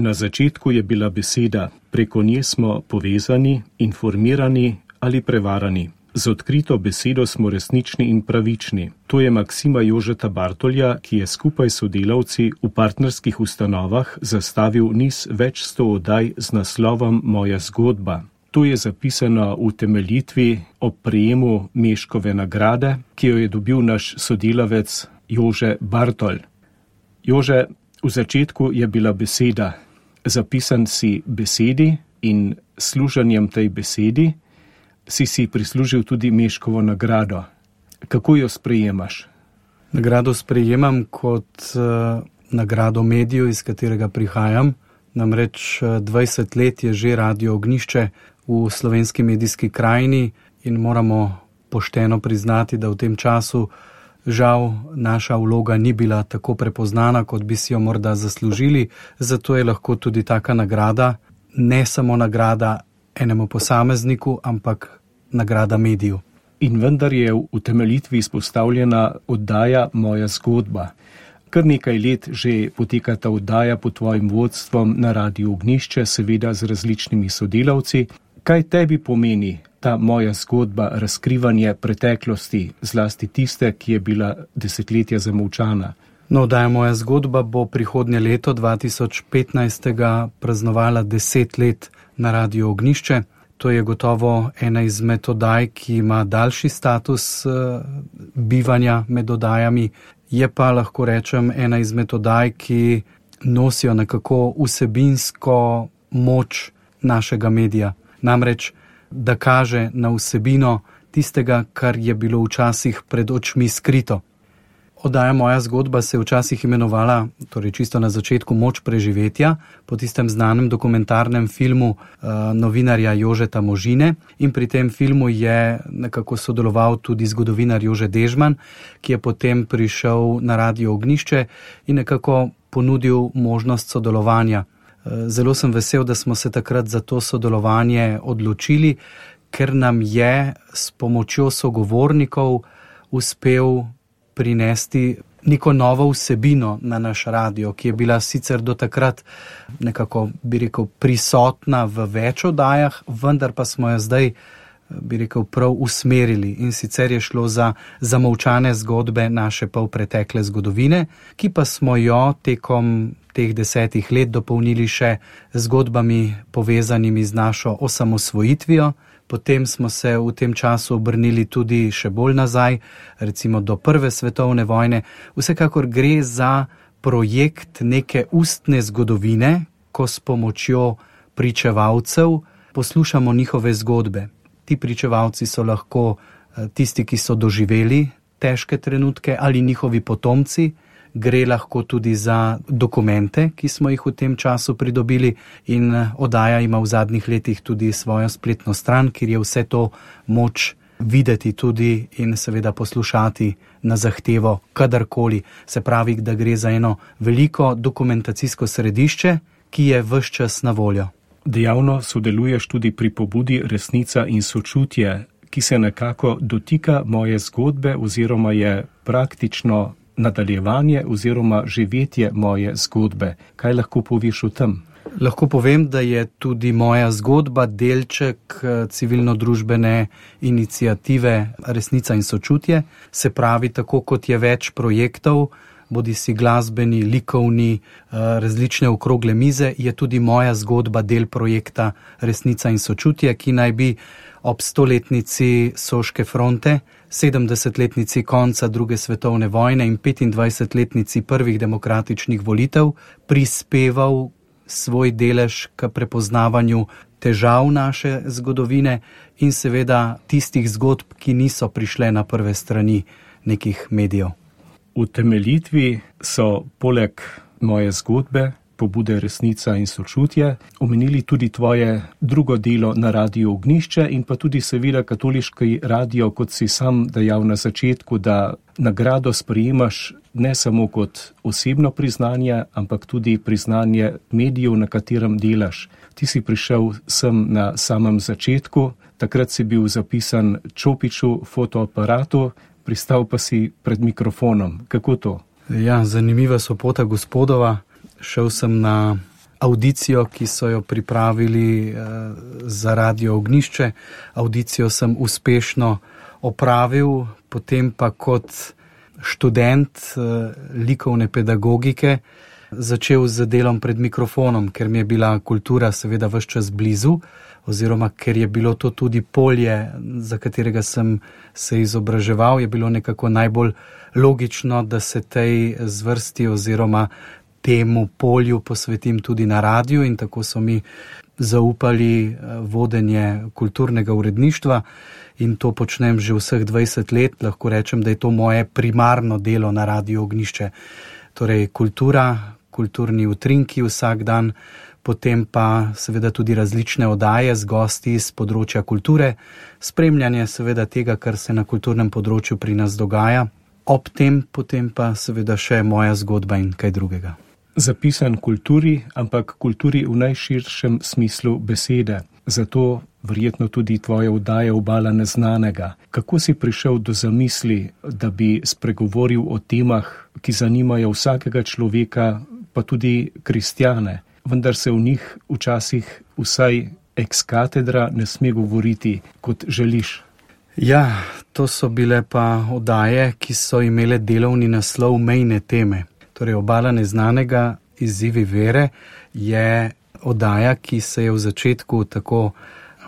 Na začetku je bila beseda, preko nje smo povezani, informirani ali prevarani. Z odkrito besedo smo resnični in pravični. To je maksima Jožeta Bartolja, ki je skupaj s sodelavci v partnerskih ustanovah zastavil niz več 100 oddaj z naslovom Moja zgodba. To je zapisano v utemeljitvi ob prejemu Meškove nagrade, ki jo je dobil naš sodelavec Jože Bartolj. Jože, v začetku je bila beseda, zapisan si besedi in služenjem tej besedi si prislužil tudi Meškovo nagrado. Kako jo sprejemaš? Nagrado sprejemam kot nagrado mediju, iz katerega prihajam. Namreč 20 let je že Radio Ognjišče v slovenski medijski krajini in moramo pošteno priznati, da v tem času žal naša vloga ni bila tako prepoznana, kot bi si jo morda zaslužili. Zato je lahko tudi taka nagrada, ne samo nagrada enemu posamezniku, ampak nagrada mediju. In vendar je v utemeljitvi izpostavljena oddaja Moja zgodba. Kar nekaj let že poteka ta oddaja pod tvojim vodstvom na Radiu Ognjišče, seveda z različnimi sodelavci. Kaj tebi pomeni ta Moja zgodba, razkrivanje preteklosti, zlasti tiste, ki je bila desetletja zamolčana? No, oddaja Moja zgodba bo prihodnje leto 2015 praznovala 10 let na Radiu Ognjišče. To je gotovo ena izmed oddaj, ki ima daljši status bivanja med oddajami. Je pa, lahko rečem, ena izmed oddaj, ki nosijo nekako vsebinsko moč našega medija. Namreč, da kaže na vsebino tistega, kar je bilo včasih pred očmi skrito. Oddaja Moja zgodba se je včasih imenovala, torej čisto na začetku, Moč preživetja, po tistem znanem dokumentarnem filmu novinarja Jožeta Možine, in pri tem filmu je nekako sodeloval tudi zgodovinar Jože Dežman, ki je potem prišel na Radio Ognjišče in nekako ponudil možnost sodelovanja. Zelo sem vesel, da smo se takrat za to sodelovanje odločili, ker nam je s pomočjo sogovornikov uspel prinesti neko novo vsebino na naš radio, ki je bila sicer do takrat nekako, bi rekel, prisotna v več oddajah, vendar pa smo jo zdaj, bi rekel, prav usmerili. In sicer je šlo za zamolčane zgodbe naše polpretekle zgodovine, ki pa smo jo tekom teh 10 let dopolnili še zgodbami povezanimi z našo osamosvojitvijo. Potem smo se v tem času obrnili tudi še bolj nazaj, recimo do Prve svetovne vojne. Vsekakor gre za projekt neke ustne zgodovine, ko s pomočjo pričevalcev poslušamo njihove zgodbe. Ti pričevalci so lahko tisti, ki so doživeli težke trenutke, ali njihovi potomci. Gre lahko tudi za dokumente, ki smo jih v tem času pridobili, in oddaja ima v zadnjih letih tudi svojo spletno stran, kjer je vse to moč videti tudi in seveda poslušati na zahtevo kadarkoli. Se pravi, da gre za eno veliko dokumentacijsko središče, ki je ves čas na voljo. Dejavno sodeluješ tudi pri pobudi Resnica in sočutje, ki se nekako dotika moje zgodbe oziroma je praktično nadaljevanje oziroma živetje moje zgodbe. Kaj lahko poveš o tem? Lahko povem, da je tudi moja zgodba delček civilno-družbene iniciative Resnica in sočutje. Se pravi, tako kot je več projektov, bodisi glasbeni, likovni, različne okrogle mize, je tudi moja zgodba del projekta Resnica in sočutje, ki naj bi ob 100-letnici Soške fronte, 70-letnici konca druge svetovne vojne in 25-letnici prvih demokratičnih volitev prispeval svoj delež k prepoznavanju težav naše zgodovine in seveda tistih zgodb, ki niso prišle na prve strani nekih medijev. V utemeljitvi so poleg moje zgodbe, pobude Resnica in sočutje, omenili tudi tvoje drugo delo na Radiu Ognjišče in pa tudi seveda katoliški radio, kot si sam dejal na začetku, da nagrado sprejemaš ne samo kot osebno priznanje, ampak tudi priznanje medijev, na katerem delaš. Ti si prišel sem na samem začetku, takrat si bil zapisan Čopiču fotoaparatu, pristal pa si pred mikrofonom. Kako to? Ja, zanimiva sopota gospodova. Šel sem na avdicijo, ki so jo pripravili za Radio Ognjišče. Avdicijo sem uspešno opravil, potem pa kot študent likovne pedagogike začel z delom pred mikrofonom, ker mi je bila kultura seveda ves čas blizu, oziroma ker je bilo to tudi polje, za katerega sem se izobraževal, je bilo nekako najbolj logično, da se tej zvrsti oziroma temu polju posvetim tudi na radiju, in tako so mi zaupali vodenje kulturnega uredništva in to počnem že vseh 20 let. Lahko rečem, da je to moje primarno delo na Radiu Ognjišče. Torej kultura, kulturni utrinki vsak dan, potem pa seveda tudi različne oddaje z gosti iz področja kulture, spremljanje seveda tega, kar se na kulturnem področju pri nas dogaja, ob tem potem pa seveda še moja zgodba in kaj drugega. Zapisan kulturi, ampak kulturi v najširšem smislu besede. Zato verjetno tudi tvoja oddaja Obala neznanega. Kako si prišel do zamisli, da bi spregovoril o temah, ki zanimajo vsakega človeka, pa tudi kristjane, vendar se v njih včasih vsaj ex cathedra ne sme govoriti, kot želiš? Ja, to so bile pa oddaje, ki so imele delovni naslov Mejne teme. Torej, Obala neznanega, izzivi vere je oddaja, ki se je v začetku tako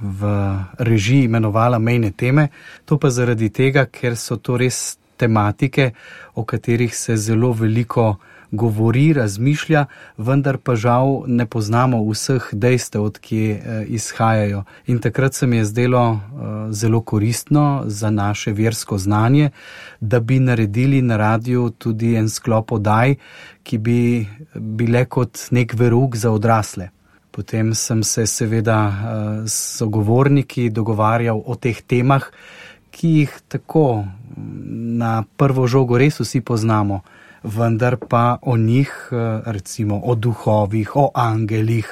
v režiji imenovala Mejne teme. To pa zaradi tega, ker so to res tematike, o katerih se zelo veliko govori, razmišlja, vendar pa žal ne poznamo vseh dejstev, od kje izhajajo. In takrat se mi je zdelo zelo koristno za naše versko znanje, da bi naredili na radiju tudi en sklop oddaj, ki bi bile kot nek verouk za odrasle. Potem sem se seveda s sogovorniki dogovarjal o teh temah, ki jih tako na prvo žogo res vsi poznamo, vendar pa o njih, recimo o duhovih, o angelih,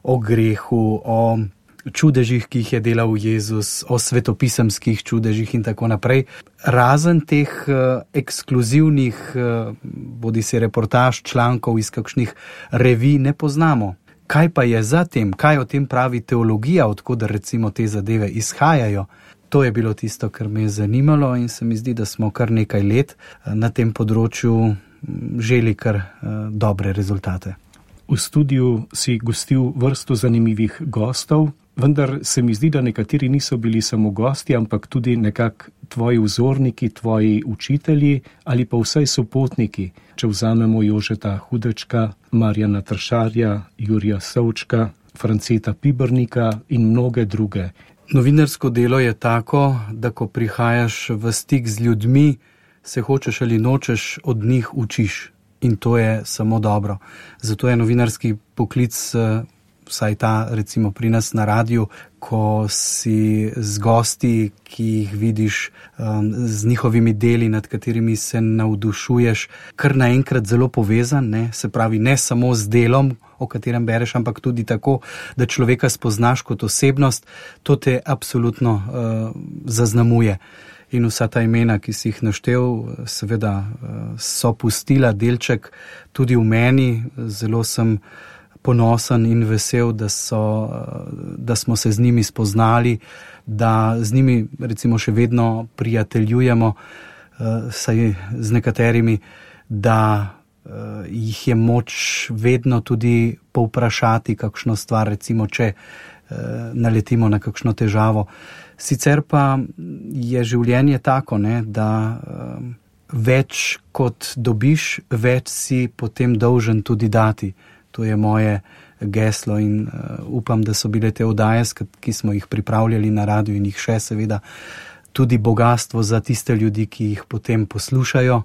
o grehu, o čudežih, ki jih je delal Jezus, o svetopisemskih čudežih in tako naprej. Razen teh ekskluzivnih, bodisi reportaž, člankov iz kakšnih revij ne poznamo. Kaj pa je za tem, kaj o tem pravi teologija, odkud recimo te zadeve izhajajo? To je bilo tisto, kar me je zanimalo, in se mi zdi, da smo kar nekaj let na tem področju želi kar dobre rezultate. V studiu si gostil vrsto zanimivih gostov, vendar se mi zdi, da nekateri niso bili samo gosti, ampak tudi nekako tvoji vzorniki, tvoji učitelji ali pa vsaj sopotniki, če vzamemo Jožeta Hudečka, Marjana Tršarja, Jurija Savčka, Franceta Pibernika in mnoge druge. Novinarsko delo je tako, da ko prihajaš v stik z ljudmi, se hočeš ali nočeš, od njih učiš. In to je samo dobro. Zato je novinarski poklic, vsaj ta recimo pri nas na radiju, ko si z gosti, ki jih vidiš, z njihovimi deli, nad katerimi se navdušuješ, kar naenkrat zelo povezan, ne? Se pravi, ne samo z delom, o katerem bereš, ampak tudi tako, da človeka spoznaš kot osebnost, to te absolutno zaznamuje. In vsa ta imena, ki si jih naštel, seveda so pustila delček tudi v meni. Zelo sem ponosen in vesel, da smo se z njimi spoznali, da z njimi recimo še vedno prijateljujemo, saj z nekaterimi, da jih je moč vedno tudi povprašati kakšno stvar, recimo če naletimo na kakšno težavo. Sicer pa je življenje tako, ne, da več kot dobiš, več si potem dolžen tudi dati. To je moje geslo in upam, da so bile te oddaje, ki smo jih pripravljali na radiju in jih še seveda, tudi bogastvo za tiste ljudi, ki jih potem poslušajo,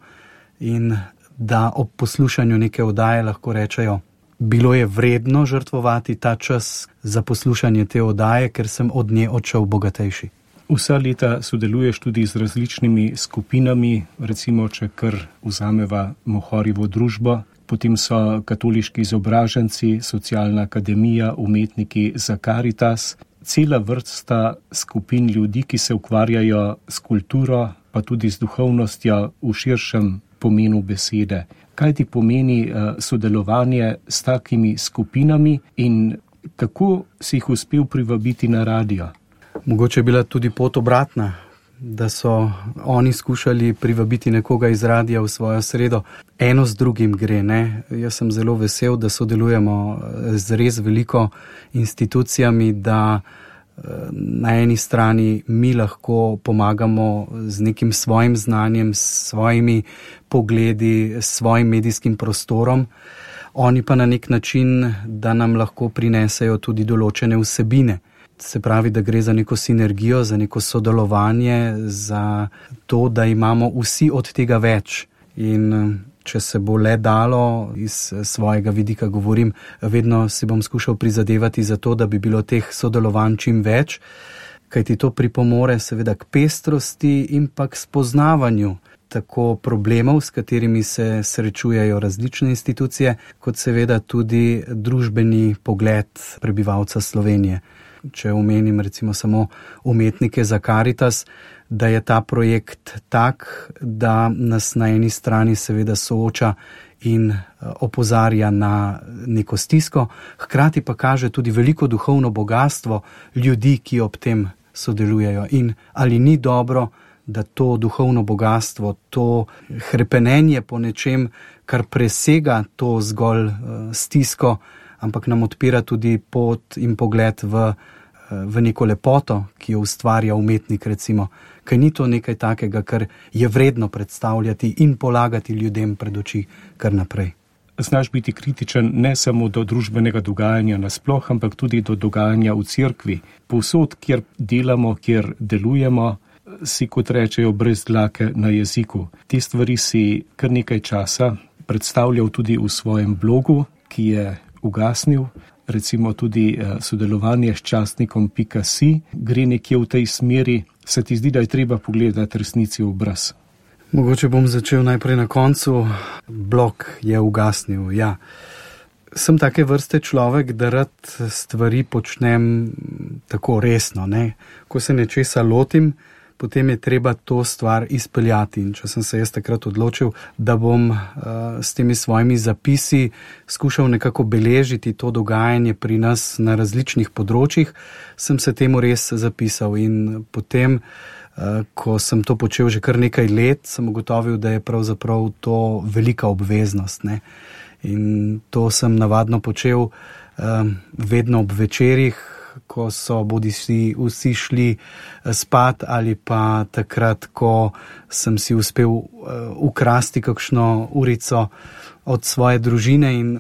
in da ob poslušanju neke oddaje lahko rečejo, bilo je vredno žrtvovati ta čas za poslušanje te oddaje, ker sem od nje odšel bogatejši. Vsa leta sodeluješ tudi z različnimi skupinami, recimo, če kar vzameva Mohorjevo družbo, potem so katoliški izobraženci, socialna akademija, umetniki za Karitas, cela vrsta skupin ljudi, ki se ukvarjajo s kulturo, pa tudi z duhovnostjo v širšem pomenu besede. Kaj ti pomeni sodelovanje s takimi skupinami in kako si jih uspel privabiti na radio? Mogoče je bila tudi pot obratna, da so oni skušali privabiti nekoga iz radia v svojo sredo. Eno z drugim gre, ne? Jaz sem zelo vesel, da sodelujemo z res veliko institucijami, da na eni strani mi lahko pomagamo z nekim svojim znanjem, s svojimi pogledi, s svojim medijskim prostorom, oni pa na nek način, da nam lahko prinesejo tudi določene vsebine. Se pravi, da gre za neko sinergijo, za neko sodelovanje, za to, da imamo vsi od tega več. In če se bo le dalo, iz svojega vidika govorim, vedno si bom skušal prizadevati za to, da bi bilo teh sodelovanj čim več, kajti to pripomore seveda k pestrosti in pa k spoznavanju tako problemov, s katerimi se srečujejo različne institucije, kot seveda tudi družbeni pogled prebivalca Slovenije. Če omenim recimo samo umetnike za Karitas, da je ta projekt tak, da nas na eni strani seveda sooča in opozarja na neko stisko, hkrati pa kaže tudi veliko duhovno bogatstvo ljudi, ki ob tem sodelujejo. In ali ni dobro, da to duhovno bogatstvo, to hrepenenje po nečem, kar presega to zgolj stisko, ampak nam odpira tudi pot in pogled v neko lepoto, ki jo ustvarja umetnik recimo. Kaj ni to nekaj takega, kar je vredno predstavljati in polagati ljudem pred oči kar naprej. Znaš biti kritičen ne samo do družbenega dogajanja nasploh, ampak tudi do dogajanja v cerkvi. Povsod, kjer delamo, kjer delujemo, si, kot rečejo, brez dlake na jeziku. Te stvari si kar nekaj časa predstavljal tudi v svojem blogu, ki je ugasnil. Recimo tudi sodelovanje s časnikom.si gre nekje v tej smeri. Se ti zdi, da je treba pogledati resnici v obraz? Mogoče bom začel najprej na koncu. Blog je ugasnil, ja. Sem take vrste človek, da rad stvari počnem tako resno, ne. Ko se nečesa lotim, potem je treba to stvar izpeljati. In če sem se jaz takrat odločil, da bom s temi svojimi zapisi skušal nekako beležiti to dogajanje pri nas na različnih področjih, sem se temu res zapisal. In potem, ko sem to počel že kar nekaj let, sem ugotovil, da je pravzaprav to velika obveznost, ne. In to sem navadno počel vedno ob večerih, ko so bodisi vsi šli spat ali pa takrat, ko sem si uspel ukrasti kakšno urico od svoje družine in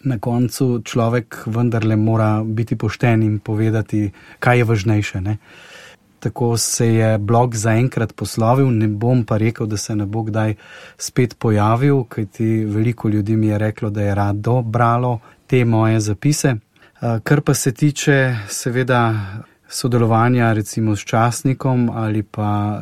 na koncu človek vendarle mora biti pošten in povedati, kaj je važnejše, ne. Tako se je blog zaenkrat poslovil, ne bom pa rekel, da se ne bo kdaj spet pojavil, kajti veliko ljudi mi je reklo, da je rado bralo te moje zapise. Kar pa se tiče seveda sodelovanja recimo s časnikom ali pa,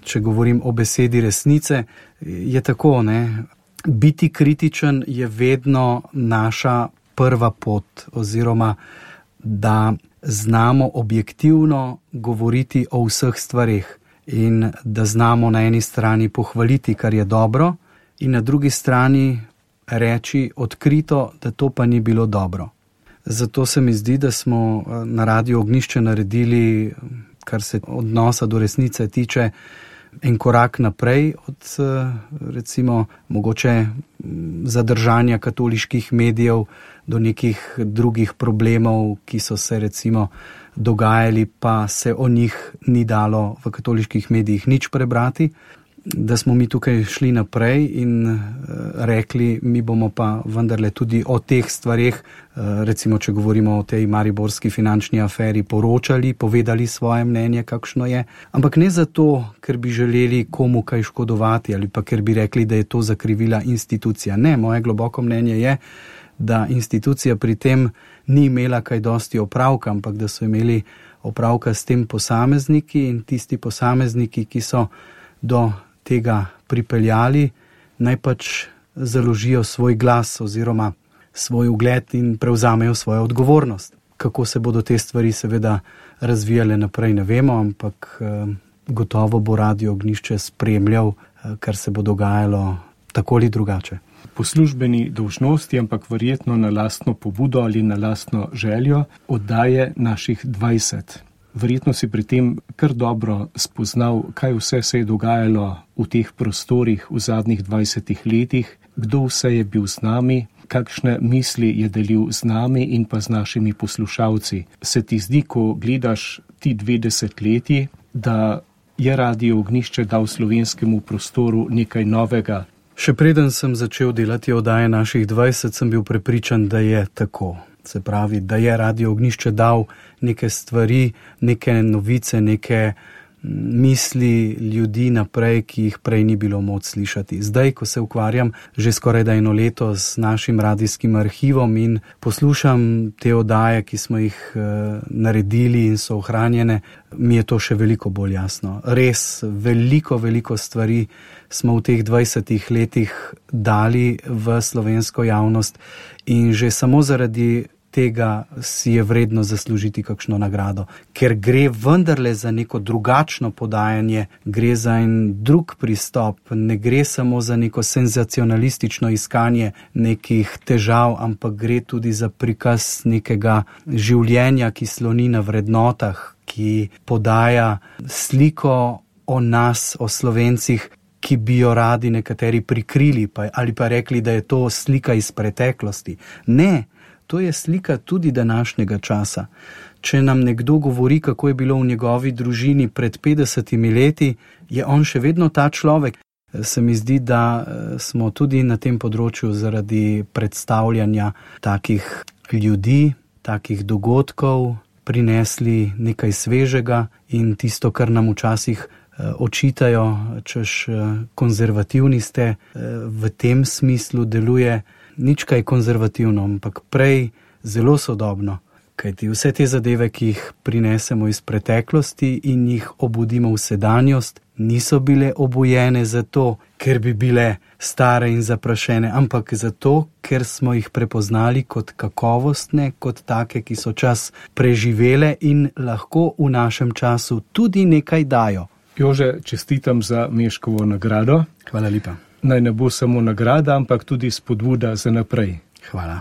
če govorim o besedi resnice, je tako, ne. Biti kritičen je vedno naša prva pot oziroma da znamo objektivno govoriti o vseh stvareh in da znamo na eni strani pohvaliti, kar je dobro, in na drugi strani reči odkrito, da to pa ni bilo dobro. Zato se mi zdi, da smo na Radiu Ognjišče naredili, kar se odnosa do resnice tiče, en korak naprej od recimo mogoče zadržanja katoliških medijev do nekih drugih problemov, ki so se recimo dogajali, pa se o njih ni dalo v katoliških medijih nič prebrati. Da smo mi tukaj šli naprej in rekli, mi bomo pa vendarle tudi o teh stvareh, recimo če govorimo o tej mariborski finančni aferi, poročali, povedali svoje mnenje, kakšno je. Ampak ne zato, ker bi želeli komu kaj škodovati ali pa ker bi rekli, da je to zakrivila institucija. Ne, moje globoko mnenje je, da institucija pri tem ni imela kaj dosti opravka, ampak da so imeli opravka s tem posamezniki in tisti posamezniki, ki so do tega pripeljali, naj pač založijo svoj glas oziroma svoj ugled in prevzamejo svojo odgovornost. Kako se bodo te stvari seveda razvijale naprej, ne vemo, ampak gotovo bo Radio Ognjišče spremljal, kar se bo dogajalo tako ali drugače. Po službeni dolžnosti, ampak verjetno na lastno pobudo ali na lastno željo, oddaje naših 20. Verjetno si pri tem kar dobro spoznal, kaj vse se je dogajalo v teh prostorih v zadnjih 20 letih, kdo vse je bil z nami, kakšne misli je delil z nami in pa z našimi poslušalci. Se ti zdi, ko gledaš ti 20 leti, da je Radio Ognjišče dal slovenskemu prostoru nekaj novega? Še preden sem začel delati oddaje naših 20, sem bil prepričan, da je tako. Se pravi, da je Radio Ognjišče dal neke stvari, neke novice, neke misli ljudi naprej, ki jih prej ni bilo moč slišati. Zdaj, ko se ukvarjam že skoraj da 1 leto z našim radijskim arhivom in poslušam te oddaje, ki smo jih naredili in so ohranjene, mi je to še veliko bolj jasno. Res veliko stvari smo v teh 20 letih dali v slovensko javnost in že samo zaradi tega si je vredno zaslužiti kakšno nagrado, ker gre vendarle za neko drugačno podajanje, gre za en drug pristop, ne gre samo za neko senzacionalistično iskanje nekih težav, ampak gre tudi za prikaz nekega življenja, ki sloni na vrednotah, ki podaja sliko o nas, o Slovencih, ki bi jo radi nekateri prikrili ali pa rekli, da je to slika iz preteklosti. Ne, to je slika tudi današnjega časa. Če nam nekdo govori, kako je bilo v njegovi družini pred 50 leti, je on še vedno ta človek. Se mi zdi, da smo tudi na tem področju zaradi predstavljanja takih ljudi, takih dogodkov prinesli nekaj svežega in tisto, kar nam včasih očitajo, češ konzervativni ste, v tem smislu deluje nič kaj konzervativno, ampak prej zelo sodobno. Kajti vse te zadeve, ki jih prinesemo iz preteklosti in jih obudimo v sedanjost, niso bile obujene zato, ker bi bile stare in zaprašene, ampak zato, ker smo jih prepoznali kot kakovostne, kot take, ki so čas preživele in lahko v našem času tudi nekaj dajo. Jože, čestitam za Meškovo nagrado. Hvala lepa. Naj ne bo samo nagrada, ampak tudi spodbuda za naprej. Hvala.